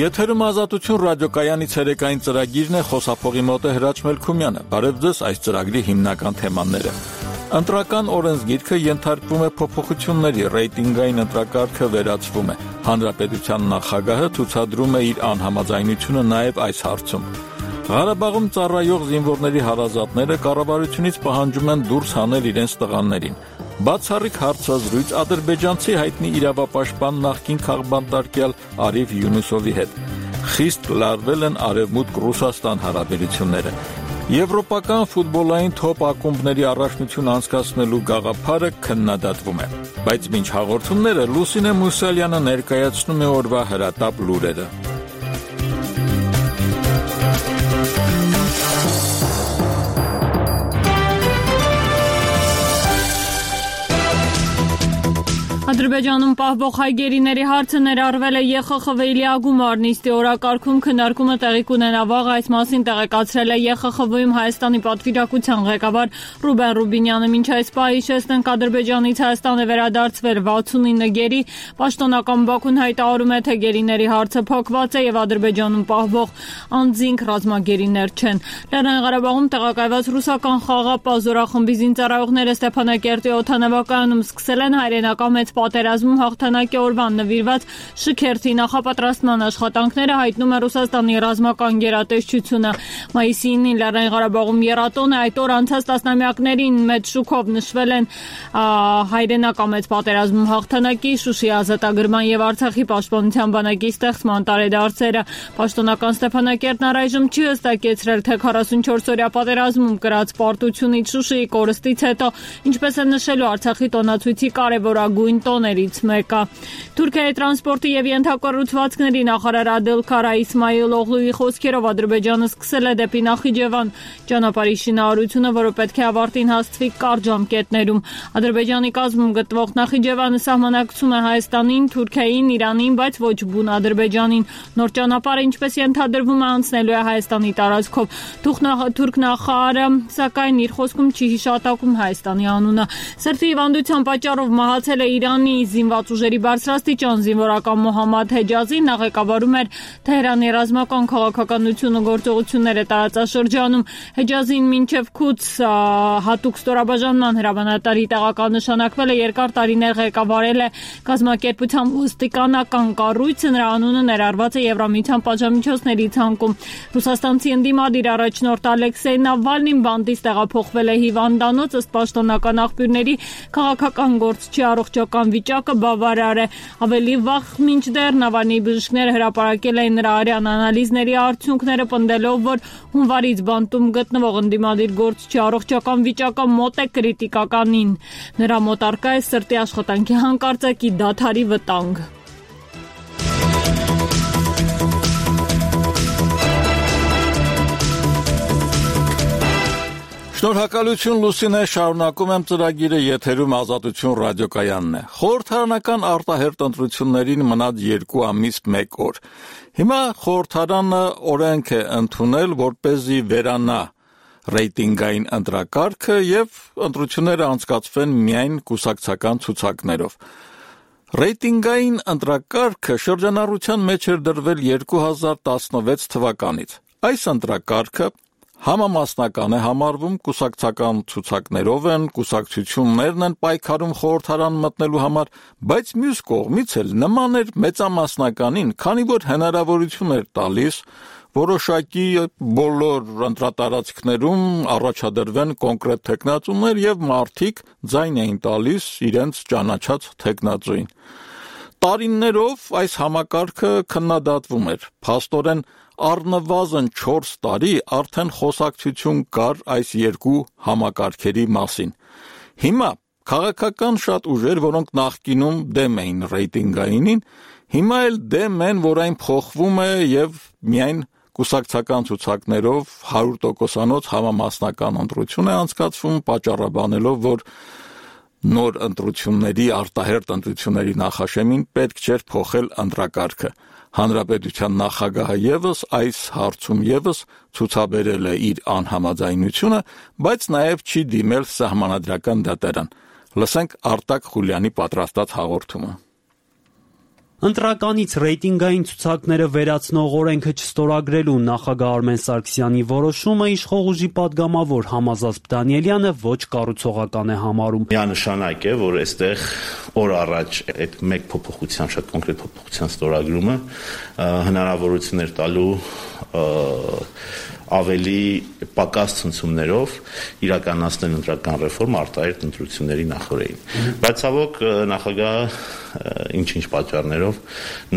Եթերում ազատություն ռադիոկայանի ցերեկային ծրագիրն է, խոսափողի մոտ է Հրաչ Մելքումյանը։ Բարև ձեզ, այս ծրագրի հիմնական թեմաները։ Ընտրական օրենսգիրքը ենթարկվում է փոփոխությունների, ռեյտինգային ընտրակարգը վերացվում է։ Հանրապետության նախագահը ցուցադրում է իր անհամաձայնությունը նաև այս հարցում։ Ղարաբաղում ծառայող զինվորների հարազատները կառավարությունից պահանջում են դուրս հանել իրենց տղաներին։ Բացառիկ հարցազրույց ադրբեջանցի հայտնի իրավապաշտպան նախկին քաղբանտարկյալ Արիվ Յունուսովի հետ։ Խիստ լարվել են Արևմուտք-Ռուսաստան հարաբերությունները։ Եվրոպական ֆուտբոլային թոփ ակումբների առաջնություն անցկացնելու գաղափարը քննադատվում է։ Բայց մինչ հաղորդումները Լուսինե Մուսալյանը ներկայացնում է օրվա հրատապ լուրերը։ Ադրբեջանում պահվող հայ գերիների հարցը ներառվել է ԵԽԽՎ-ի լիագումար նիստի օրակարգում, քննարկումը տեղի կունենա վաղ, այս մասին տեղեկացրել է ԵԽԽՎ-ում Հայաստանի պատվիրակության ղեկավար Ռուբեն Ռուբինյանը։ Մինչ այս պահ հիշեցնենք, Ադրբեջանից Հայաստան է վերադարձվել 69 գերի, պաշտոնական Բաքուն հայտարարում է, թե գերիների հարցը փակված է եւ Ադրբեջանում պահվող անձինք ռազմագերիներ չեն։ Լեռնային Ղարաբաղում տեղակայված ռուսական խաղապահ զորախմբի զինծառայողները Ստեփանակերտի օդանավակայանում սկսել են հայրենական մեծ պատերազմում հաղթանակի օրվան նվիրված շքերթի նախապատրաստման աշխատանքները, հայտնում է Ռուսաստանի ռազմական գերատեսչությունը։ Մայիսի 9-ին Լեռնային Ղարաբաղում եռատոն է, այդ օր անցած տասնամյակներին մեծ շուկով նշվել են հայրենական մեծ պատերազմում հաղթանակի, Շուշիի ազատագրման եւ Արցախի պաշտպանության բանակի ստեղծման տարեդարձերը։ Պաշտոնական Ստեփանակերտն առայժմ չի հստակեցրել, թե 44-օրյա պատերազմում կրած պարտությունից, Շուշիի կորստից հետո ինչպես է նշելու Արցախի տոնացույցի կարևորագույն տոներից մեկը։ Թուրքիայի տրանսպորտի եւ ենթակառուցվածքների նախարար Ադելքարա Իսմայիլ Օղլուի խոսքերով Ադրբեջանը սկսել է դեպի Նախիջևան ճանապարհի շինարարությունը, որը պետք է ավարտին հասցվի կարճ ժամկետներում։ Ադրբեջանի կազմում գտնվող Նախիջևանը սահմանակցում է Հայաստանին, Թուրքիային, Իրանին, բայց ոչ բուն Ադրբեջանին։ Նոր ճանապարհը, ինչպես ենթադրվում է, անցնելու է Հայաստանի տարածքով։ Թուրք նախարարը, սակայն, իր խոսքում չի հիշատակում Հայաստանի անունը։ Սրտի հիվանդության պատճառով մահացել է Իրանի զինված ուժերի բարձրաստիճան զինվորական Մոհամմադ Հեջազին, նա ղեկավարում էր Թեհրանի ռազմական քաղաքականություն ու գործողությունները տարածաշրջանում։ Հեջազին մինչև Քուց հատուկ ստորաբաժանման հրամանատարի տեղակալ նշանակվել է, երկար տարիներ ղեկավարել է կազմակերպության ոստիկանական կառույցը, նրա անունը ներառված է Եվրամիության պատժամիջոցների ցանկում։ Ռուսաստանցի ընդդիմադիր առաջնորդ Ալեքսեյ Նավալնին բանտից տեղափոխվել է հիվանդանոց, ըստ պաշտոնական աղբյուրների քաղաքական գործչի առողջական վիճակը բավարար է։ Ավելի վաղ մինչդեռ Նավալնիի բժիշկները հրապարակել էին նրա արյան անալիզների արդյունքները, պնդելով, որ հունվարից բանտում գտնվող ընդդիմադիր գործչի առողջական վիճակը մոտ է կրիտիկականին։ Նրա մոտ առկա է սրտի աշխատանքի հանկարծակի դադարի վտանգ։ Շնորհակալություն Լուսինե, շարունակում եմ ծրագիրը, եթերում ազատություն ռադիոկայանն է։ Խորհրդարանական արտահերթ ընտրություններին մնաց 2 ամիս 1 օր։ Հիմա խորհրդարանը օրենք է ընդունել, որպեսզի վերանա ռեյտինգային ընտրակարգը եւ ընտրությունները անցկացվեն միայն կուսակցական ցուցակներով։ Ռեյտինգային ընտրակարգը շրջանառության մեջ էր դրվել 2016 թվականից։ Այս ընտրակարգը համամասնական է համարվում, կուսակցական ցուցակներով են, կուսակցություններն են պայքարում խորհրդարան մտնելու համար, բայց մյուս կողմից էլ նման էր մեծամասնականին, քանի որ հնարավորություն էր տալիս որոշակի բոլոր ընտրատարածքներում առաջադրվեն կոնկրետ թեկնածուներ եւ մարդիկ ձայն էին տալիս իրենց ճանաչած թեկնածուին։ Տարիներով այս համակարգը քննադատվում էր, փաստորեն առնվազն 4 տարի արդեն խոսակցություն կար այս երկու համակարգերի մասին։ Հիմա քաղաքական շատ ուժեր, որոնք նախկինում դեմ էին ռեյտինգայինին, հիմա էլ դեմ են, որ այն փոխվում է եւ միայն կուսակցական ցուցակներով 100%-անոց համամասնական ընտրություն է անցկացվում, պատճառաբանելով, որ նոր ընտրությունների, արտահերթ ընտրությունների նախաշեմին պետք չէր փոխել ընտրակարգը։ Հանրապետության նախագահը եւս այս հարցում եւս ցուցաբերել է իր անհամաձայնությունը, բայց նաեւ չի դիմել սահմանադրական դատարան։ Լսենք Արտակ Խուլյանի պատրաստած հաղորդումը։ Ընտրականից ռեյտինգային ցուցակները վերացնող օրենքը չստորագրելու նախագահ Արմեն Սարգսյանի որոշումը իշխող ուժի падգամավոր Համազազբ Դանիելյանը ոչ կառուցողական է համարում։ Միանշանակ է, որ այստեղ օր առաջ այդ մեկ փոփոխության, շատ կոնկրետ փոփոխության ստորագրումը հնարավորություններ տալու ավելի պակաս ցնցումներով իրականացնել ընտրական ռեֆորմ արտահերթ ընտրությունների նախօրեին։ Բայց ցավոք նախագահը ինչ-ինչ պատճառներով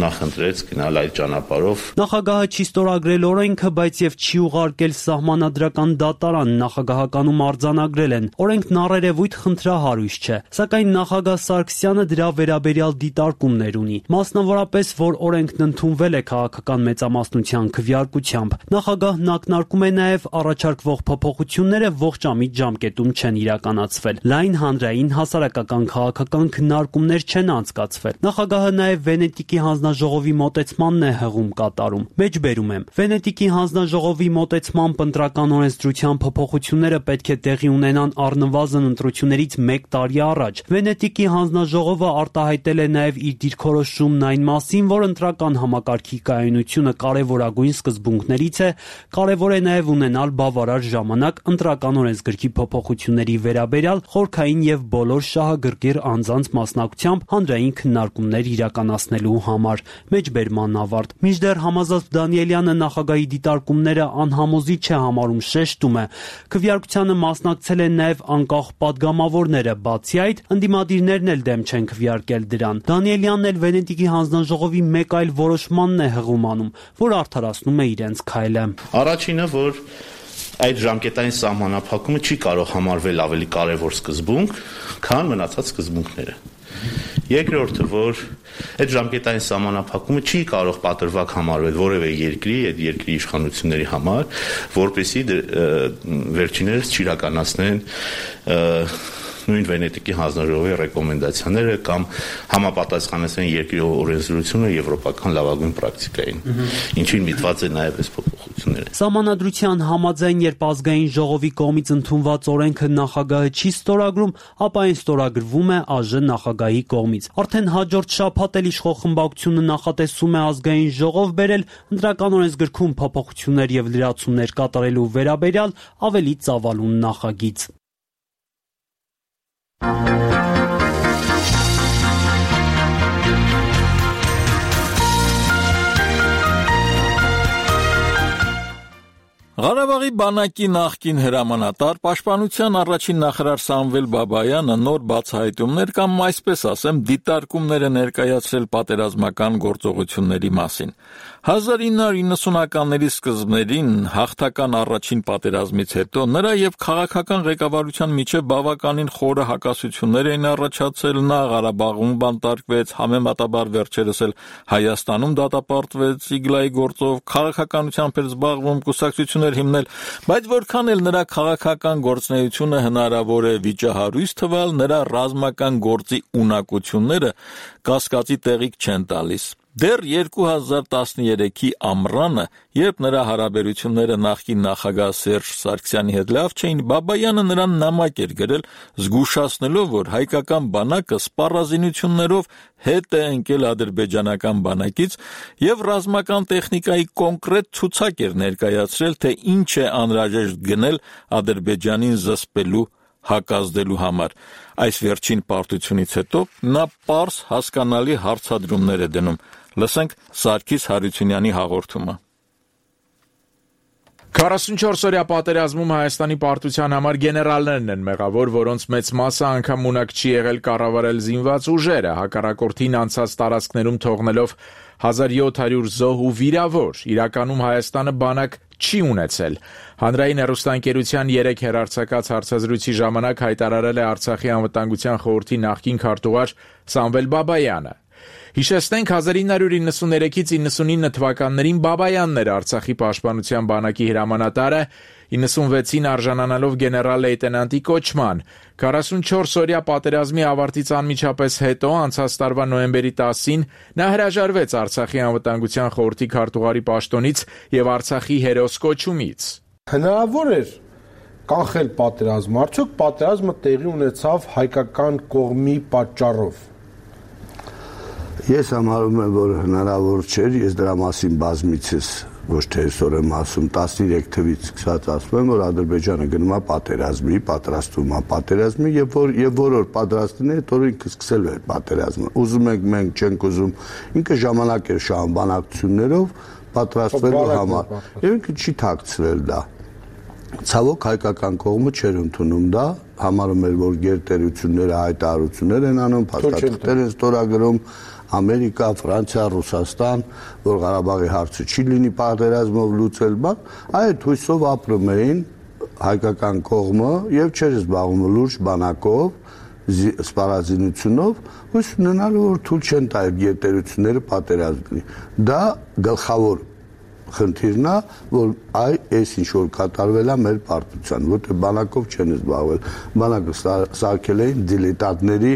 նախընտրեց գնալ այդ ճանապարհով։ Նախագահը չի ստորագրել օրենքը, բայց եւ չի ուղարկել սահմանադրական դատարան, նախագահականում արձանագրել են։ Օրենքն առերևույթ խնդրահարույց չէ, սակայն նախագահ Սարգսյանը դրա վերաբերյալ դիտարկումներ ունի, մասնավորապես, որ օրենքն ընդունվել է քաղաքական մեծամասնության քվեարկությամբ։ Նախագահն ակնարկում է նաեւ առաջարկվող փոփոխությունները ողջամիտ ժամկետում չեն իրականացվել։ Լայն հանրային հասարակական քաղաքական քննարկումներ չեն անցկացվել։ Նախագահը նաեւ Վենետիկի հանձնաժողովի մոտեցմանն է հղում կատարում։ Մեջբերում եմ։ Վենետիկի հանձնաժողովի մոտեցմամբ ընտրական օրենսդրության փոփոխությունները պետք է տեղի ունենան առնվազն ընտրություններից 1 տարի առաջ։ Վենետիկի հանձնաժողովը արտահայտել է նաեւ իր դիրքորոշումն այն մասին, որ ընտրական համակարգի կայունությունը կարևորագույն սկզբունքներից է, կարևոր է նաեւ ունենալ բավարար ժամանակ ընտրական օրենսգրքի փոփոխությունների վերաբերյալ խորքային եւ բոլոր շահագրգիռ անձանց մասնակցությամբ հանրային քննարկումներ իրականացնելու համար։ Մեջբերման ավարտ։ Մինչդեռ Համազազբ Դանիելյանը նախագահի դիտարկումները անհամոզիչ է համարում, շեշտում է։ Քվեարկությանը մասնակցել են նաեւ անկախ падգամավորները, բացի այդ, ընդդիմադիրներն էլ դեմ չեն քվեարկել դրան։ Դանիելյանն էլ Վենետիկի հանձնաժողովի մեկ այլ որոշմանն է հղում անում, որ արդարացնում է իրենց քայլը։ Առաջինը, որ այդ ժամկետային սահմանափակումը չի կարող համարվել ավելի կարևոր սկզբունք, քան մնացած սկզբունքները։ Երկրորդը, որ այդ ժամկետային սահմանափակումը չի կարող պատրվակ համարվել որևէ երկրի, այդ երկրի իշխանությունների համար, որպեսզի վերջիններս չիրականացնեն նույն Վենետիկի հանձնաժողովի ռեկոմենդացիաները կամ համապատասխանեցնեն երկրի օրենսդրությունը եվրոպական լավագույն պրակտիկային, ինչին միտված է նաև այս փոփոխությունները։ Սահմանադրության համաձայն, երբ ազգային ժողովի կողմից ընդունված օրենքը նախագահը չի ստորագրում, ապա այն ստորագրվում է ԱԺ նախագահի կողմից։ Արդեն հաջորդ շաբաթ էլ իշխող խմբակցությունը նախատեսում է ազգային ժողով բերել ընտրական օրենսգրքում փոփոխություններ եւ լրացումներ կատարելու վերաբերյալ ավելի ծավալուն նախագիծ։ Ղարաբաղի բանակի նախկին հրամանատար, պաշտպանության առաջին նախարար Սամվել Բաբայանը նոր բացահայտումներ կամ այսպես ասեմ դիտարկումներ է ներկայացրել պատերազմական գործողությունների մասին։ 1990-ականների սկզբներին հաղթական առաջին պատերազմից հետո նրա եւ քաղաքական ղեկավարության միջև բավականին խորը հակասություններ էին առաջացել, նա Ղարաբաղում բանտարկվեց, համեմատաբար վերջերս էլ Հայաստանում դատապարտվեց Իգլայի գործով, քաղաքականությամբ էր զբաղվում, կուսակցություններ հիմնել, բայց որքան էլ նրա քաղաքական գործունեությունը հնարավոր է վիճահարույց թվալ, նրա ռազմական գործի ունակությունները կասկածի տեղիք չեն տալիս։ Դեռ 2013-ի ամռանը, երբ նրա հարաբերությունները նախկին նախագահ Սերժ Սարգսյանի հետ լավ չէին, Բաբայանը նրան նամակ էր գրել, զգուշացնելով, որ հայկական բանակը սպառազինություններով հետ է ընկել ադրբեջանական բանակից եւ ռազմական տեխնիկայի կոնկրետ ցուցակ էր ներկայացրել, թե ինչ է անհրաժեշտ գնել Ադրբեջանին զսպելու հակազդելու համար։ Այս վերջին պարտությունից հետո նա պարզ հասկանալի հարցադրումներ է դնում։ Լսենք Սարգիս Հարությունյանի հաղորդումը։ 44-օրյա պատերազմում Հայաստանի պարտության համար գեներալներն են մեղավոր, որոնց մեծ մասը անգամ ունակ չի եղել կառավարել զինված ուժերը, հակառակորդին անցած տարածքներում թողնելով 1700 զոհ ու վիրավոր։ Իրականում Հայաստանը բանակ չի ունեցել։ Հանրային հեռուստաընկերության 3 հեռարձակած հարցազրույցի ժամանակ հայտարարել է Արցախի անվտանգության խորհրդի նախկին քարտուղար Սամվել Բաբայանը։ Հիշեցնենք 1993-ից 99 թվականներին Բաբայանն էր Արցախի պաշտպանության բանակի հրամանատարը, 96-ին արժանանալով գեներալ լեյտենանտի կոչման։ 44-օրյա պատերազմի ավարտից անմիջապես հետո, անցած տարվա նոյեմբերի 10-ին, նա հրաժարվեց Արցախի անվտանգության խորհրդի քարտուղարի պաշտոնից եւ Արցախի հերոս կոչումից։ Հնարավոր էր կանխել պատերազմը, արդյոք պատերազմը տեղի ունեցավ հայկական կողմի պատճառով։ Ես համարում եմ, որ հնարավոր չէր, ես դրա մասին բազմիցս ոչ թե այսօր եմ ասում, 13 թվից սկսած ասում եմ, որ Ադրբեջանը գնում է պատերազմի, պատրաստվում է պատերազմի եւ որոր պատրաստին է, որ ինքը սկսել է պատերազմը։ Ուզում ենք մենք չենք ուզում, ինքը ժամանակ էր շահում բանակցություններով պատրաստվելու համար։ Եվ ինքը չի թաքցրել դա։ Ցավոք հայկական կողմը չէր ընդունում դա, համարում էր, որ գերտերությունները հայտարարություններ են անում, փաստաթղթեր են ստորագրում, Ամերիկա, Ֆրանսիա, Ռուսաստան, որ Ղարաբաղի հարցը չի լինի պատերազմով լուծել, այդ հույսով ապրում էին հայկական կողմը եւ չէր զբաղվում լուրջ բանակով, սպառազինությունով, հույս ունենալու որ թույլ չեն տա այդ գերտերությունները պատերազմի։ Դա գլխավոր խնդիրն է, որ այս ինչ որ կատարվել է մեր պարտության, որտեղ բանակով չեն զբաղվել, բանակը սարքել էին դիլետանտների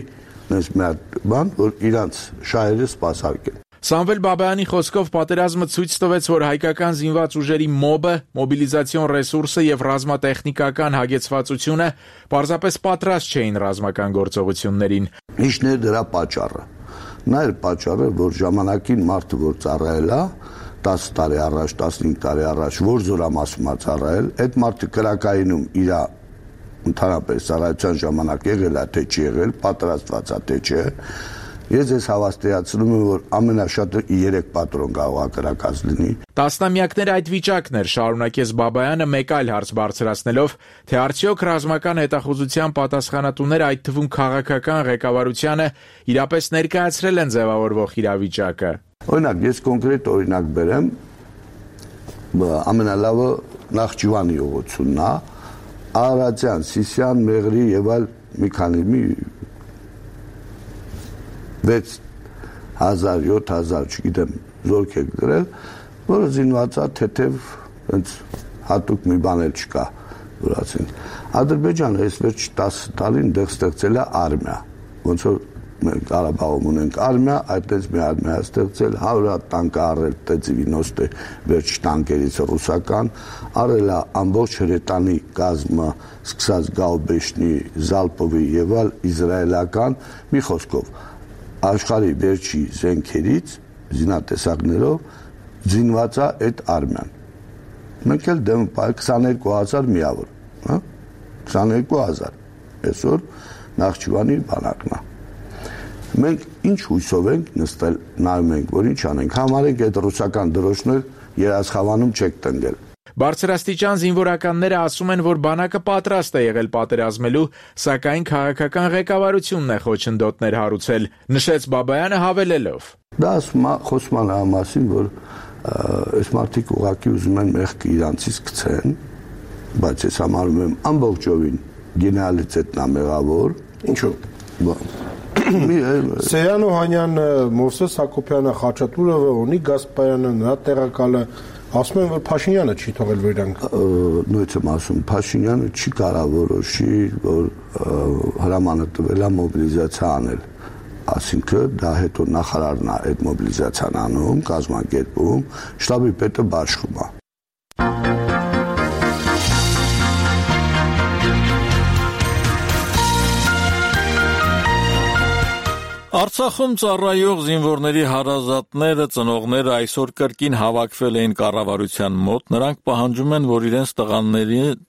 նենց մի հատ բան, որ իրանց շահերը սպասարկեն։ Սամվել Բաբայանի խոսքով պատերազմը ցույց տվեց, որ հայկական զինված ուժերի մոբը, մոբիլիզացիոն ռեսուրսը եւ ռազմատեխնիկական հագեցվածությունը պարզապես պատրաստ չէին ռազմական գործողություններին։ Ինչն է դրա պատճառը։ Նա էր պատճառը, որ ժամանակին մարդը որ ծառայել է 10 տարի առաջ, 15 տարի առաջ, որ զորամասում է ծառայել, այդ մարդը կրակայինում իր ընդհանրապես ծառայության ժամանակ եղել է, թե չի եղել, պատրաստված է, թե չէ։ Ես ես հավաստիացնում եմ, որ ամենաշատը 3 պատրոն կարող է կրակած լինի։ Տասնամյակներ այդ վիճակն էր, շարունակեց Բաբայանը մեկ այլ հարց բարձրացնելով, թե արդյոք ռազմական հետախուզության պատասխանատուները, այդ թվում քաղաքական ղեկավարությանը, իրապես ներկայացրել են ձևավորվող իրավիճակը։ Օրինակ, ես կոնկրետ օրինակ բերեմ, ամենալավը Նախճիվանի ուղղությունն է, Արարատյան, Սիսիան, Մեղրի եւ այլ մի քանի 6000, 7000, չգիտեմ, զորք եք գրել, որը զինված է թեթև հենց հատուկ մի բան էլ չկա, որ ասենք։ Ադրբեջանը այս վերջ 10 տարին դեռ ստեղծել է արմիա, ոնց որ մենք Ղարաբաղում ունենք արմիա, այդպես մի արմիա ստեղծել, 100 տանկ առել T-90 վերջ տանկերից ռուսական, առել է ամբողջ հրետանի կազմը, սկսած Գաուբեշնի, Զալպովի եւ այլ իզրայելական, մի խոսքով աշխարհի վերջի զենքերից զինատեսակներով զինված է այդ արմիան։ Մենք էլ դեմ 22000 միավոր, հա? 22000։ Այսօր Նախճիվանի բանակն է։ Մենք ինչ հույսով ենք նստել, նայում ենք, որ ինչ անենք, համարենք այդ ռուսական դրոշներ երաշխավանում չեք տնկել։ Բարձրաստիճան զինվորականները ասում են, որ բանակը պատրաստ է եղել պատերազմելու, սակայն քաղաքական ղեկավարությունն է խոչընդոտներ հարուցել, նշեց Բաբայանը հավելելով. Դա խոսում է մասին, որ այս մարդիկ ուղղակի ուզում են մեղքը իրանցից գցեն, բայց ես համարում եմ ամբողջովին գեներալիտետն է մեղավոր։ Ինչու՞։ Սեյան Օհանյանը, Մովսես Հակոբյանը, Խաչատուրովը, Օնիկ Գասպարյանը, նրա տեղակալը ասում են, որ Փաշինյանը չի թողել վերանք։ Նույնիսկ եմ ասում, Փաշինյանը չի կարող որոշի, որ հրամանը տվել է մոբիլիզացիա անել։ Այսինքն դա հետո նախարարն է այդ մոբիլիզացիան անում, կազմակերպում, շտաբի պետը բաշխում է։ Արցախում ծառայող զինվորների հարազատները, ծնողները այսօր կրկին հավաքվել էին կառավարության մոտ, նրանք պահանջում են, որ իրենց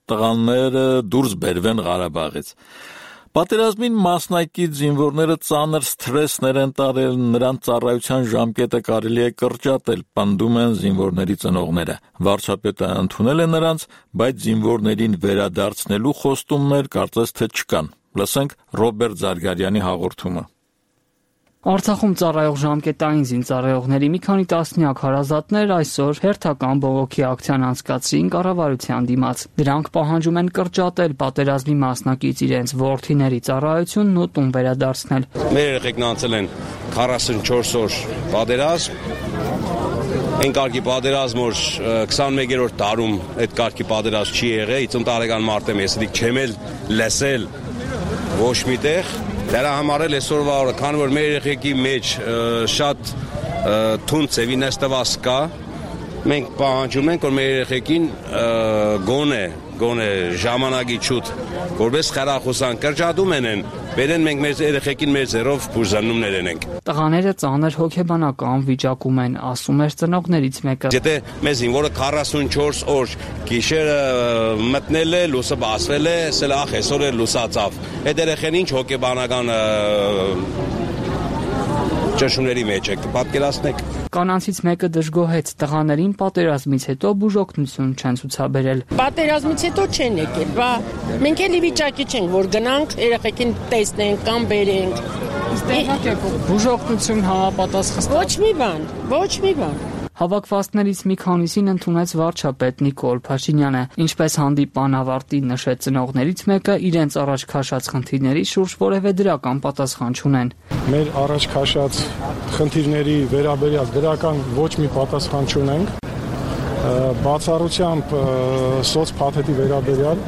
տղաները դուրս բերվեն Ղարաբաղից։ Պատերազմին մասնակից զինվորները ծանր սթրեսներ են տարել, նրանց ծառայության ժամկետը կարելի է կրճատել, պնդում են զինվորների ծնողները։ Վարչապետը ընդունել է նրանց, բայց զինվորներին վերադարձնելու խոստումներ կարծես թե չկան։ Լսենք Ռոբերտ Զարգարյանի հաղորդումը։ Արցախում ծառայող ժամկետային զինծառայողների մի քանի տասնյակ հարազատներ այսօր հերթական բողոքի ակցիան անցկացրին կառավարության դիմաց։ Դրանք պահանջում են կրճատել պատերազմի մասնակից իրենց որդիների ծառայությունն ու տուն վերադարձնել։ Մեր երեխեքն անցել են 44 օր պատերազմ։ Այն կարգի պատերազմ, որ 21-րդ տարում այդ կարգի պատերազմ չի եղել, 50 տարեկան մարդ եմ, ես չեմ էլ լսել ոչ միտեղ։ Դրա համար էլ այսօրվա օրը, քանի որ մեր երեխեքի մեջ շատ թունդ ծևի նստված կա, մենք պահանջում ենք, որ մեր երեխեքին գոնե գոնե ժամանակի շուտ որպես խրախուսան կրճատում են բերեն մենք մեր երեխեքին մեր ձեռով բուժանումներ ենք։ Տղաները ծանր հոգեբանական վիճակում են, ասում էր ծնողներից մեկը։ Եթե մեզ ինվորը 44 օր գիշերը մտնել է, լուսը բացվել է, սել այսօր է լուսացավ։ Այդ երեխեն ինչ հոգեբանական ճնշումների մեջ եք, պատկերացնեք։ Կանանցից մեկը դժգոհեց տղաներին պատերազմից հետո բուժօգնություն չեն ցուցաբերել։ Պատերազմից հետո չեն եկել, բա մենք էլի վիճակի չենք, որ գնանք երեխեքին տեսնենք կամ բերենք։ Բուժօգնություն համապատասխան։ Ոչ մի բան։ Հավաքվածներից մի քանիսին ընդունեց վարչապետ Նիկոլ Փաշինյանը, ինչպես հանդիպան ավարտին նշեց ծնողներից մեկը, իրենց առաջ քաշած խնդիրների շուրջ որևէ դրական պատասխան չունեն։ Մեր առաջ քաշած խնդիրների վերաբերյալ դրական ոչ մի պատասխան չունենք։ Բացառությամբ սոցփաթեթի վերաբերյալ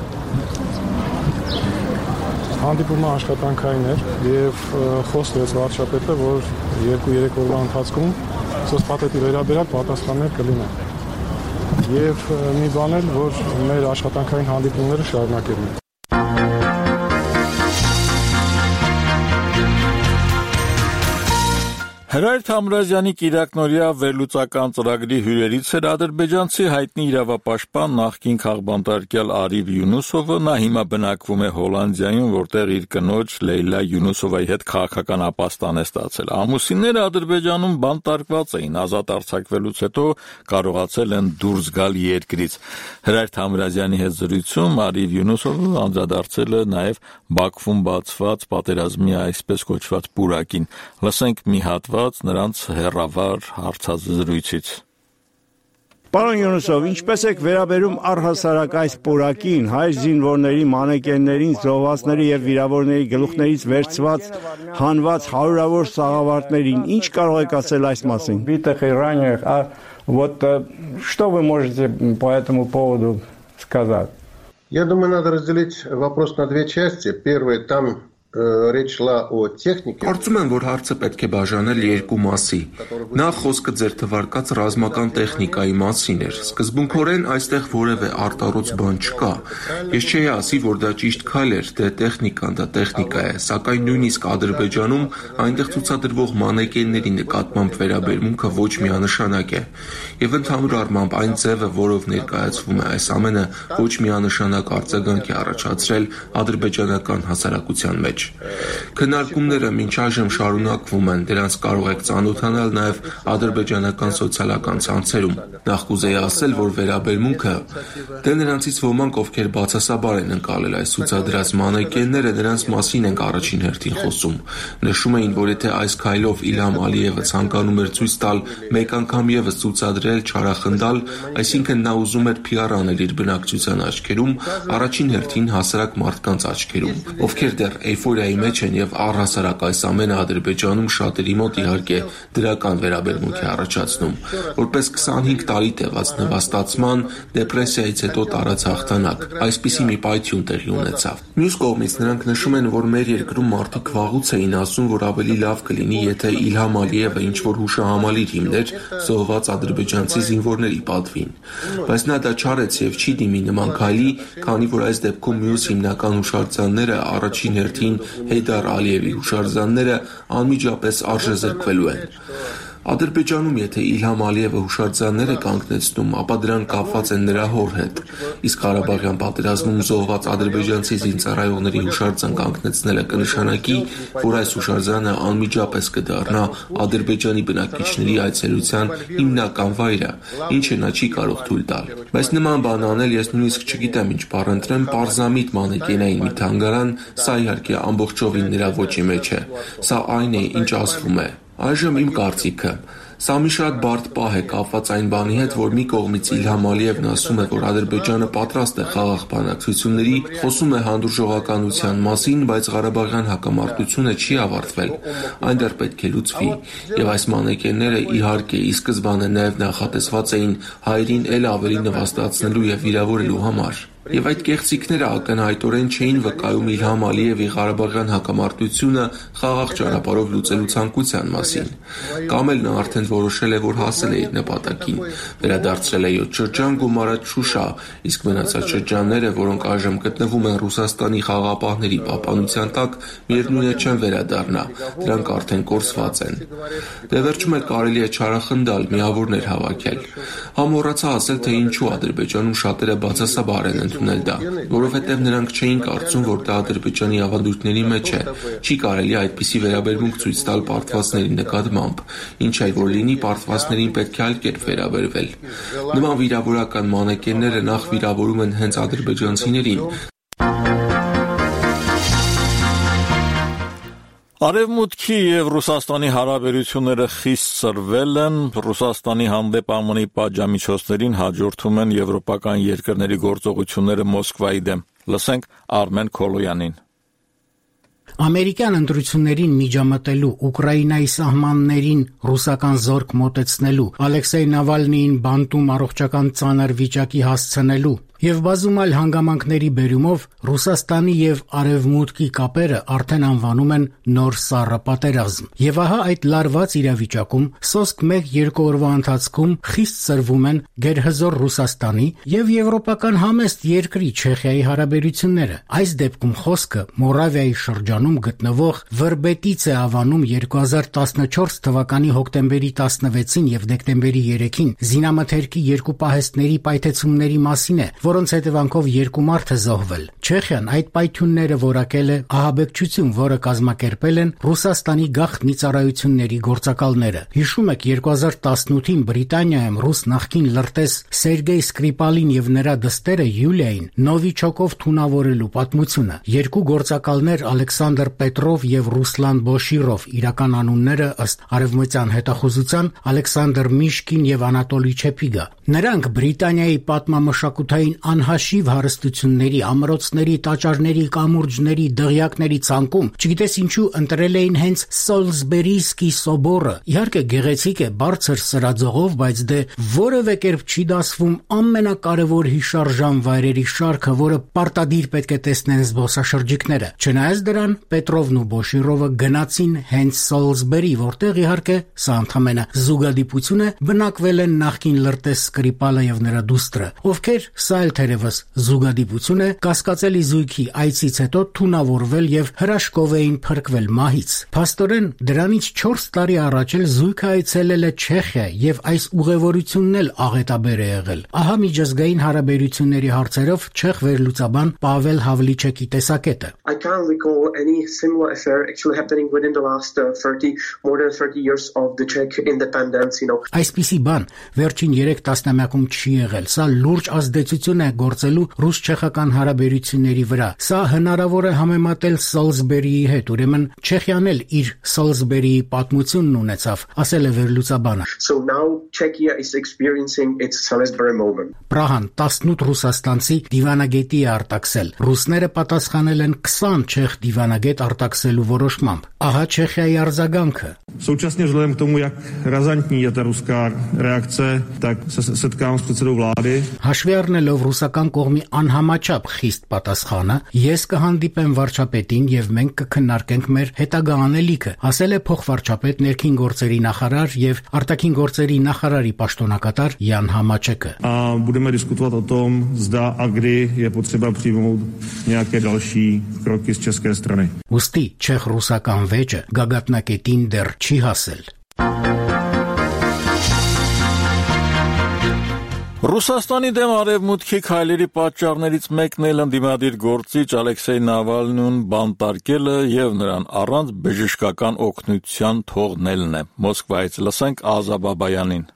հանդիպումը աշխատանքային էր եւ խոսվեց վարչապետը, որ 2-3 օրվա ընթացքում սոցփաթեթի վերաբերյալ պատասխաններ կլինեն։ Եվ մի բան էլ, որ մեր աշխատանքային հանդիպումները շարունակելու են։ Հրայր Թամրազյանի կիրակնօրյա վերլուծական ծրագրի հյուրերից էր ադրբեջանցի հայտնի իրավապաշտպան նախկին քաղբանտարկյալ Արիվ Յունուսովը, նա հիմա բնակվում է Հոլանդիայում, որտեղ իր կնոջ Լեյլա Յունուսովայի հետ քաղաքական ապաստան է ստացել։ Ամուսինները Ադրբեջանում բանտարկված էին, ազատ արձակվելուց հետո կարողացել են դուրս գալ երկրից։ Հրայր Թամրազյանի հետ զրույցում Արիվ Յունուսովը անդրադարձել է նաև Բաքվում բացված պատերազմի այսպես կոչված պուրակին։ Լսենք մի հատված նրանց հերավար հարցազրույցից։ Պարոն Յունուսով, ինչպես եք վերաբերում առհասարակ այս պուրակին, հայ զինվորների, մանեկեններին, զոհվածների եւ վիրավորների գլուխներից վերցված հանված հարյուրավոր սաղավարտներին, ինչ կարող եք ասել այս մասին։ Вот что вы можете по этому поводу сказать? Я думаю, надо разделить вопрос на две части. Первое, там речь шла о технике. Կարծում եմ, որ հարցը պետք է բաժանել երկու մասի։ Նախ խոսքը ձեր թվարկած ռազմական տեխնիկայի մասին էր։ Սկզբունքորեն այստեղ որևէ արտառոց բան չկա։ Ես չէի ասի, որ դա ճիշտ քայլ էր, դե տեխնիկան դա տեխնիկա է, սակայն նույնիսկ Ադրբեջանում այնտեղ ցուցադրվող մանեկենների նկատմամբ վերաբերմունքը ոչ միանշանակ է։ Եվ ընդհանուր առմամբ այն ձևը, որով ներկայացվում է այս ամենը, ոչ միանշանակ արձագանք է առաջացրել ադրբեջանական հասարակության մեջ։ Քննարկումները մինչ այժմ շարունակվում են, դրանց կարող եք ծանոթանալ նաև ադրբեջանական սոցիալական ցանցերում։ Նախ կուզեի ասել, որ վերաբերմունքը դե նրանցից ոմանք, ովքեր բացասաբար են ընկալել այս ցուցադրած մանեկենները, նրանց մասին ենք առաջին հերթին խոսում։ Նշում էին, որ եթե այս քայլով Իլհամ Ալիևը ցանկանում էր ցույց տալ մեկ անգամ եւս ցուցադրել, չարախնդալ, այսինքն նա ուզում էր PR անել իր բնակչության աչքերում, առաջին հերթին հասարակ մարդկանց աչքերում, ովքեր դեռ էյֆորիայի մեջ են եւ առհասարակ այս ամենը Ադրբեջանում շատերի մոտ իհարկե դրական վերաբերմունք է առաջացնում, որպես 25 տարի տևած նվաստացման, դեպրեսիայից հետո տարած հաղթանակ, այսպիսի մի պայթյուն տեղի ունեցավ։ Մյուս կողմից նրանք նշում են, որ մեր երկրում մարդիկ վաղուց էին ասում, որ ավելի լավ կլինի, եթե Իլհամ Ալիևը ինչ-որ հուշահամալիր հիմներ զոհված ադրբեջանցի զինվորների պատվին, բայց նա դա չարեց եւ չի դիմի նման քայլի, քանի որ այս դեպքում մյուս հիմնական հուշարձանները առաջին հերթին Հեյդար Ալիևի հուշարձանները անմիջապես արժեզրկվելու են։ Ադրբեջանում, եթե Իլհամ Ալիևը հուշարձաններ է կանգնեցնում, ապա դրան կապված են նրա հոր հետ։ Իսկ Ղարաբաղյան պատերազմում զոհված ադրբեջանցի զինծառայողների հուշարձան կանգնեցնելը կնշանակի, որ այս հուշարձանը անմիջապես կդառնա Ադրբեջանի բնակիչների այցելության հիմնական վայրը, ինչը նա չի կարող թույլ տալ։ Բայց նման բան անել ես նույնիսկ չգիտեմ ինչ բառ ընտրեմ, պարզամիտ մանեկենային մի թանգարան, սա իհարկե ամբողջովին նրա ոճի մեջ է։ Սա այն է, ինչ ասվում է։ Այժմ իմ կարծիքը, սա մի շատ բարդ պահ է կապված այն բանի հետ, որ մի կողմից Իլհամ Ալիևն ասում է, որ Ադրբեջանը պատրաստ է խաղաղ բանակցությունների, խոսում է հանդուրժողականության մասին, բայց Ղարաբաղյան հակամարտությունը չի ավարտվել, այն դեռ պետք է լուծվի, եւ այս մանեկենները իհարկե ի սկզբանե նաեւ նախատեսված էին հայերին էլ ավելի նվաստացնելու եւ վիրավորելու համար։ Եվ այդ կեղծիքները ակնհայտորեն չէին վկայում Իլհամ Ալիևի Ղարաբաղյան հակամարտությունը խաղաղ ճանապարհով լուծելու ցանկության մասին։ Կամ էլ նա արդեն որոշել է, որ հասել է իր նպատակին, վերադարձրել է 7 շրջան, գումարած Շուշա, իսկ մնացած շրջանները, որոնք այժմ գտնվում են Ռուսաստանի խաղաղապահների պահպանության տակ, միևնույն է չեն վերադառնա, դրանք արդեն կորսված են։ Դե վերջում էլ կարելի է չարախնդալ, միավորներ հավաքել։ Համոռացա ասել, թե ինչու Ադրբեջանում շատերը բացասաբար են ընդունել դա, որովհետև նրանք չէին կարծում, որ դա Ադրբեջանի ավանդույթների մեջ է, չի կարելի այդպիսի վերաբերմունք ցույց տալ պարտվածների նկատմամբ, ինչ այլ որ լինի պարտվածներին պետք է այլ կերպ վերաբերվել։ Նման վիրավորական մանեկենները նախ վիրավորում են հենց ադրբեջանցիներին։ Արևմուտքի եւ Ռուսաստանի հարաբերությունները խիստ սրվել են, Ռուսաստանի հանդեպ ԱՄՆ-ի պատժամիջոցներին հաջորդում են եվրոպական երկրների գործողությունները Մոսկվայի դեմ։ Լսենք Արմեն Քոլոյանին։ Ամերիկյան ընտրություններին միջամտելու, Ուկրաինայի սահմաններին ռուսական զորք մոտեցնելու, Ալեքսեյ Նավալնիին բանտում առողջական ծանր վիճակի հասցնելու եւ բազում այլ հանգամանքների բերումով Ռուսաստանի եւ Արևմուտքի կապերը արդեն անվանում են նոր սառը պատերազմ։ Եվ ահա այդ լարված իրավիճակում սոսկ 1-2 օրվա ընթացքում խիստ սրվում են գերհզոր Ռուսաստանի եւ եվրոպական համեստ երկրի Չեխիայի հարաբերությունները։ Այս դեպքում խոսքը Մորավիայի շրջանում գտնվող Վրբետից է ավանում 2014 թվականի հոկտեմբերի 16-ին եւ դեկտեմբերի 3-ին զինամթերքի երկու պահեստների պայթեցումների մասին է, որոնց հետևանքով 2 մարդ է զոհվել։ Չեխիան այդ պայթյունները որակել է ահաբեկչություն, որը կազմակերպել են Ռուսաստանի գաղտնի ծառայությունների գործակալները։ Հիշում եք 2018-ին Բրիտանիայում ռուս նախկին լրտես Սերգեյ Սկրիպալին եւ նրա դստերը Յուլիային Նովիչոկով թունավորելու պատմությունը։ Երկու գործակալներ Ալեքսանդր Պետրով եւ Ռուսլան Բոշիրով, իրական անունները ըստ արևմտյան հետախուզության Ալեքսանդր Միշկին եւ Անատոլի Չեպիգա։ Նրանք Բրիտանիայի պատմամշակութային անհաշիվ հարստությունների, ամրոցների, տաճարների, կամուրջների, դղյակների ցանկում, չգիտես ինչու ընտրել էին հենց Սոլսբերիսկի սոբորը։ Իհարկե գեղեցիկ է, բարձր սրաձողով, բայց դե որևէ կերպ չի դասվում ամենակարևոր հիշարժան վայրերի շարքը, որը պարտադիր պետք է տեսնեն զբոսաշրջիկները։ Չնայած դրան, Պետրովն ու Բոշիրովը գնացին հենց Սոլսբերի, որտեղ իհարկե սա ընդհանրապես զուգադիպություն է, բնակվել են նախկին լրտես Սկրիպալը եւ նրա դուստրը, ովքեր սա էլ թերևս զուգադիպություն է, կասկածելի զույգի այցից հետո թունավորվել եւ հրաշքով էին փրկվել մահից։ Փաստորեն դրանից 4 տարի առաջ էլ զույգը այցելել է Չեխիա եւ այս ուղևորությունն էլ աղետաբեր է եղել։ Ահա միջազգային հարաբերությունների հարցերով չեխ վերլուծաբան Պավել Հավլիչեկի տեսակետը։ I can't recall any similar affair actually happening within the last more than 30 years of the Czech independence, Այսպիսի բան վերջին 3 տասնամյակում չի եղել։ Սա լուրջ ազդեցություն է գործելու ռուս-չեխական հարաբերությունների վրա։ Սա հնարավոր է համեմատել Սոլսբերիի հետ, ուրեմն Չեխիան էլ իր Սոլսբերիի պատմությունն ունեցավ, ասել է վերլուծաբանը։ So now Czechia is experiencing its Salisbury moment. Պրահան 18 ռուսաստանցի դիվանագետի է արտաքսել։ Ռուսները պատասխանել են 20 չեխ դիվանագետ արտաքսելու որոշմամբ։ Ահա Չեխիայի արձագանքը։ Současně vzhledem k tomu, jak razantní je ta ruská reakce, tak se setkám s předsedou vlády. Հաշվի առնելով ռուսական կողմի անհամաչափ խիստ պատասխանը, ես կհանդիպեմ վարչապետին եւ մենք կքննարկենք մեր հետագա անելիքը, ասել է փոխվարչապետ ներքին գործերի նախարար եւ արտաքին գործերի նախարարի պաշտոնակատար Յան Համաչեկը։ A budeme diskutovat o tom, zda a kdy je potřeba přijmout nějaké další kroky z české strany. Ուստի չեխ-ռուսական վեճը գագաթնակետին դեռ չի հասել։ Ռուսաստանի դեմ արևմուտքի քայլերի պատճառներից մեկն էլ ընդդիմադիր գործիչ Ալեքսեյ Նավալնուն բանտարկելը եւ նրան առանց բժշկական օգնության թողնելն է։ Մոսկվայից լսենք Ազա Բաբայանին։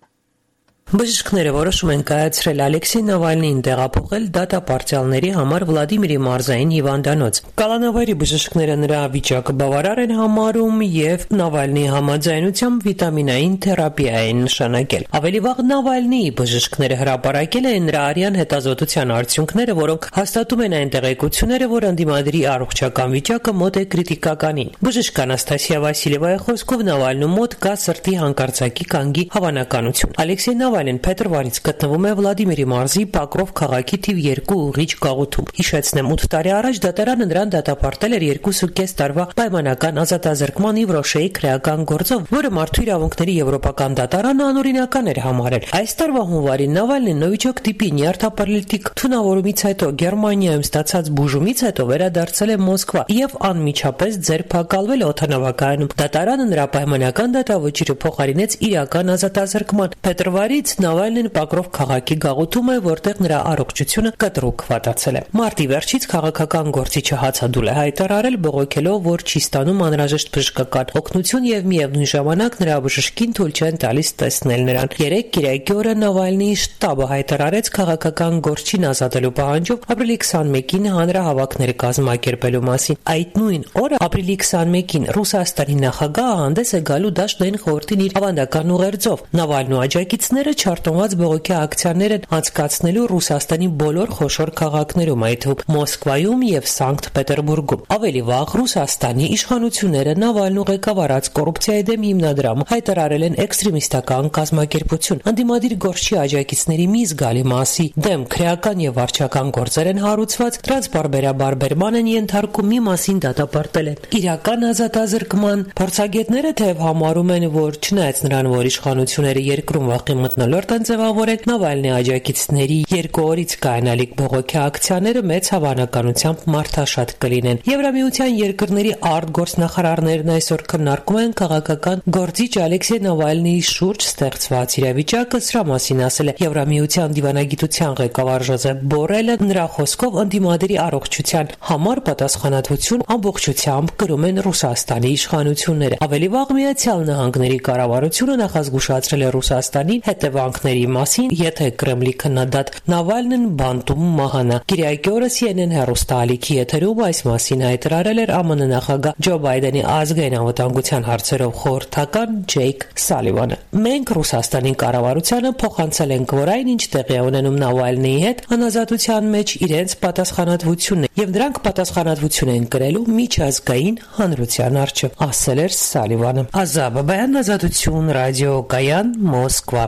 Բժիշկները որոշում են կայացրել Ալեքսեյ Նավալնիին տեղափոխել դատապարտյալների համար Վլադիմիրի մարզային հիվանդանոց։ Կալանավայրի բժիշկները նրա վիճակը բավարար են համարում եւ Նավալնիի համաձայնությամբ վիտամինային թերապիա են նշանակել։ Ավելի վաղ Նավալնիի բժիշկները հրապարակել են նրա արյան հետազոտության արդյունքները, որոնք հաստատում են այն տեղեկությունները, որ ընդդիմադիրի առողջական վիճակը մոտ է կրիտիկականին։ Բժիշկ Անաստասիա Վասիլևայի խոսքով Նավալնու մոտ կա սրտի հանկարծակի կանգի հավանականություն։ Ալեքսեյ Նավալին փետրվարից գտնվում է Վլադիմիրի մարզի Պակրով քաղաքի թիվ 2 ուղիչ գաղութում։ Հիշեցնեմ, 8 տարի առաջ դատարանը նրան դատապարտել էր 2.5 տարվա պայմանական ազատազրկման Իվրոշեի քրեական գործով, որը մարդու իրավունքների եվրոպական դատարանը անօրինական էր համարել։ Այս տարվա հունվարին Նավալին նոյիչոկ տիպի նյարդապարալիտիկ թունավորումից հետո Գերմանիայում ստացած բուժումից հետո վերադարձել է Մոսկվա եւ անմիջապես ձերբակալվել օդանավակայանում։ Դատարանը նրա պայմանական դատավճիռը փոխարինեց իրական ազատազրկման։ Փետրվարից Նավալին Պակրով քաղաքի գաղութում է, որտեղ նրա առողջությունը կտրուկ վատացել է։ Մարտի վերջից քաղաքական գործիչը հացադուլ է հայտարարել, բողոքելով, որ չի ստանում անհրաժեշտ բժշկական օգնություն եւ միևնույն ժամանակ նրա բժշկին թույլ չեն տալիս տեսնել նրան։ Երեկ Կիրակի օրը Նավալնիի շտաբը հայտարարեց քաղաքական գործչին ազատելու պահանջով ապրիլի 21-ին հանրահավաքներ կազմակերպելու մասին։ Այդ նույն օրը ապրիլի 21-ին Ռուսաստանի նախագահը հանդես է գալու Դաշնային խորհրդին իր ավանդական ուղերձով։ Նավալնու աջակիցները չարթոնված բողոքի ակցիաներ են անցկացնելու Ռուսաստանի բոլոր խոշոր քաղաքներում, այդ թվում Մոսկվայում եւ Սանկտ Պետերբուրգում։ Ավելի վաղ Ռուսաստանի իշխանությունները Նավալնու ղեկավարած կոռուպցիայի դեմ հիմնադրամը հայտարարել են էքստրեմիստական կազմակերպություն։ Անդիմադիր գործչի աջակիցների մի զգալի մասի դեմ քրեական եւ վարչական գործեր են հարուցված, դրանց բարբերաբարբերման են ենթարկում, մի մասին դատապարտել են։ Իրական ազատազրկման փորձագետները թեև համարում են, որ չնայած նրան, որ իշխանությունները երկրում վախի մթնոլորտ են ձևավորել, Նավալնի աջակիցների 2 օրից կայանալիք բողոքի ակցիաները մեծ հավանականությամբ մարդաշատ կլինեն։ Եվրամիության երկրների արտգործնախարարներն այսօր քննարկում են քաղաքական գործիչ Ալեքսեյ Նավալնիի շուրջ ստեղծված իրավիճակը, սրա մասին ասել է Եվրամիության դիվանագիտության ղեկավար Ժոզեփ Բորելը։ Նրա խոսքով անդիմադերի առողջության համար պատասխանատվություն ամբողջությամբ կրում են Ռուսաստանի իշխանությունները։ Ավելի վաղ Միացյալ Նահանգների կառավարությունը նախազգուշացրել է Ռուսաստանին հետևանքների մասին, եթե Կրեմլի քննադատ Նավալնին բանտում մահանա։ Կիրակի օրը CNN հեռուստաալիքի եթերում այս մասին հայտարարել էր ԱՄՆ նախագահ Ջո Բայդենի ազգային անվտանգության հարցերով խորհրդական Ջեյք Սալիվանը։ Մենք Ռուսաստանի կառավարությանը փոխանցել ենք, որ այն ինչ տեղի է ունենում Նավալնիի հետ անազատության մեջ իրենց պատասխանատվությունն է, եւ դրանք պատասխանատվություն են կրելու միջազգային հանրության առջև, ասել էր Սալիվանը։ Ազատ Բաբայան, Ազատություն, ռադիոկայան, Մոսկվա։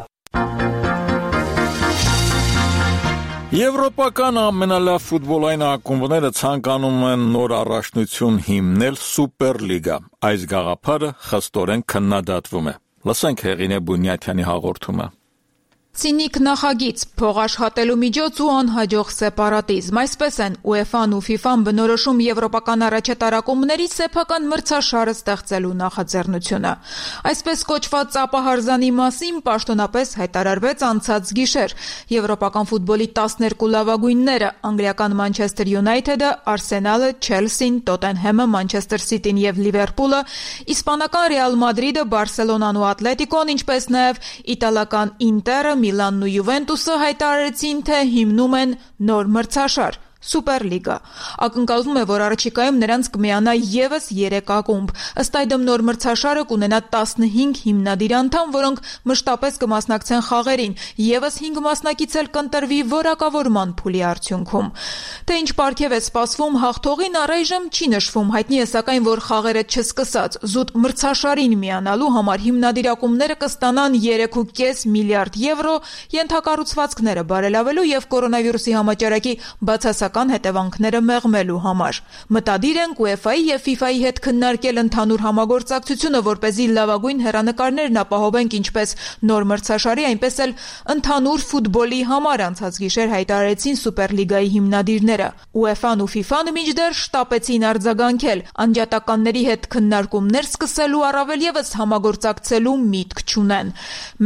Եվրոպական ամենալավ ֆուտբոլային ակումբները ցանկանում են նոր առաջնություն հիմնել Սուպերլիգա։ Այս գաղափարը խստորեն քննադատվում է։ Լսենք Հեղինե Բունյաթյանի հաղորդումը։ Ցինիկ նախագիծ, փողաշխատելու միջոց ու անհաջող սեպարատիզմ։ Այսպես են UEFA-ն ու FIFA-ն բնորոշում եվրոպական առաջատարակումների սեփական մրցաշարը ստեղծելու նախաձեռնությունը։ Այսպես կոչված ապահարզանի մասին պաշտոնապես հայտարարվեց անցած գիշեր։ Եվրոպական ֆուտբոլի 12 լավագույնները՝ անգլիական Մանչեսթեր Յունայթեդը, Արսենալը, Չելսին, Տոտենհեմը, Մանչեսթեր Սիտին եւ Լիվերպուլը, իսպանական Ռեալ Մադրիդը, Բարսելոնան ու Ատլետիկոն, ինչպես նաեւ իտալական Ինտերը, Միլանն ու Յուվենտուսը հայտարարեցին, թե հիմնում են նոր մրցաշար՝ Սուպերլիգա։ Ակնկալվում է, որ առաջիկայում նրանց կմիանա եւս 3 ակումբ։ Ըստ այդմ նոր մրցաշարը կունենա 15 հիմնադիր անդամ, որոնք մշտապես կմասնակցեն խաղերին, եւս 5 մասնակից էլ կընտրվի որակավորման փուլի արդյունքում։ Թե ինչ պարգև է սպասվում հաղթողին առայժմ չի նշվում, հայտնի է սակայն, որ խաղերը չսկսած զուտ մրցաշարին միանալու համար հիմնադիր ակումբները կստանան 3.5 միլիարդ եվրո, ենթակառուցվածքները բարելավելու եւ կորոնավիրուսի համաճարակի բացասական հետևանքները մեղմելու համար։ Մտադիր են UEFA-ի եւ FIFA-ի հետ քննարկել ընդհանուր համագործակցությունը, որպեսզի լավագույն հեռանկարներն ապահովենք ինչպես նոր մրցաշարի, այնպես էլ ընդհանուր ֆուտբոլի համար, անցած գիշեր հայտարարեցին Սուպերլիգայի հիմնադիրները։ UEFA-ն ու FIFA-ն մինչդեռ շտապեցին արձագանքել, անջատականների հետ քննարկումներ սկսելու, առավել եւս համագործակցելու միտք չունեն։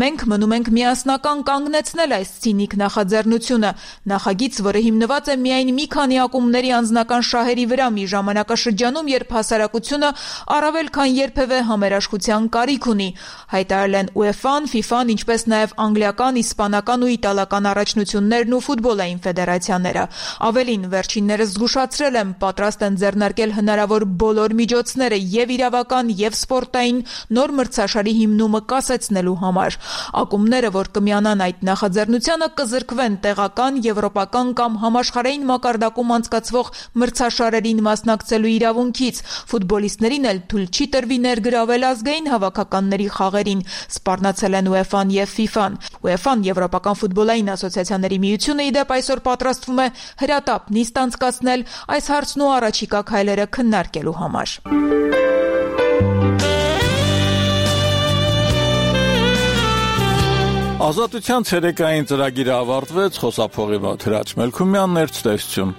Մենք մնում ենք միասնական կանգնեցնել այս ցինիկ նախաձեռնությունը, նախագիծ, որը հիմնված է միայն մի քանի ակումբների անձնական շահերի վրա մի ժամանակաշրջանում, երբ հասարակությունը առավել քան երբևէ համերաշխության կարիք ունի, հայտարարել են UEFA-ն, FIFA-ն, ինչպես նաև անգլիական, իսպանական ու իտալական առաջնություններն ու ֆուտբոլային ֆեդերացիաները։ Ավելին, վերջիններս զգուշացրել են, պատրաստ են ձեռնարկել հնարավոր բոլոր միջոցները եւ իրավական եւ սպորտային նոր մրցաշարի հիմնումը կասեցնելու համար։ Ակումբները, որ կմիանան այդ նախաձեռնությանը, կզրկվեն տեղական, եվրոպական կամ համաշխարհային մակարդակում անցկացվող մրցաշարերին մասնակցելու իրավունքից։ Ֆուտբոլիստներին էլ թույլ չի տրվի ներգրավել ազգային հավաքականների խաղերին, սպառնացել են UEFA-ն եւ FIFA-ն։ UEFA-ն Եվրոպական ֆուտբոլային ասոցիացիաների միությունը ի դեպ այսօր պատրաստվում է հրատապ նիստ անցկացնել այս հարցն ու առաջիկա քայլերը քննարկելու համար։ Ազատության ցերեկային ծրագիրը ավարտվեց, խոսափողի Թրաչ Մելքումյանն էր, ցտեսություն։